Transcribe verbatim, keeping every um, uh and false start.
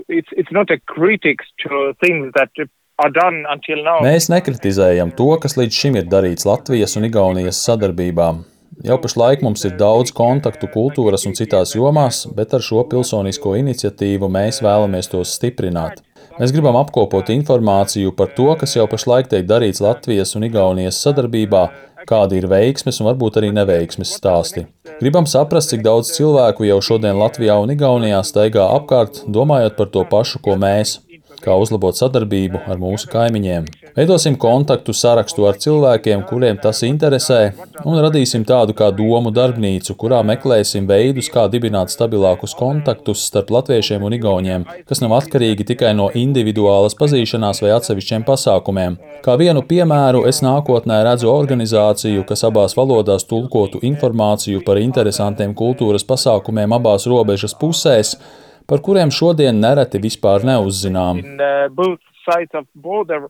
it's, it's not a critics to things that are done until now. Mēs nekritizējam to, kas līdz šim ir darīts Latvijas un Igaunijas sadarbībā. Jau pašlaik mums ir daudz kontaktu kultūras un citās jomās, bet ar šo pilsonisko iniciatīvu mēs vēlamies tos stiprināt. Mēs gribam apkopot informāciju par to, kas jau pašlaik tiek darīts Latvijas un Igaunijas sadarbībā, kādi ir veiksmes un varbūt arī neveiksmes stāsti. Gribam saprast, cik daudz cilvēku jau šodien Latvijā un Igaunijā staigā apkārt, domājot par to pašu, ko mēs, kā uzlabot sadarbību ar mūsu kaimiņiem. Veidosim kontaktu sarakstu ar cilvēkiem, kuriem tas interesē, un radīsim tādu kā domu darbnīcu, kurā meklēsim veidus, kā dibināt stabilākus kontaktus starp latviešiem un igauņiem, kas nav atkarīgi tikai no individuālas pazīšanās vai atsevišķiem pasākumiem. Kā vienu piemēru es nākotnē redzu organizāciju, kas abās valodās tulkotu informāciju par interesantiem kultūras pasākumiem abās robežas pusēs, par kuriem šodien nereti vispār neuzzinām. In uh, both sides of border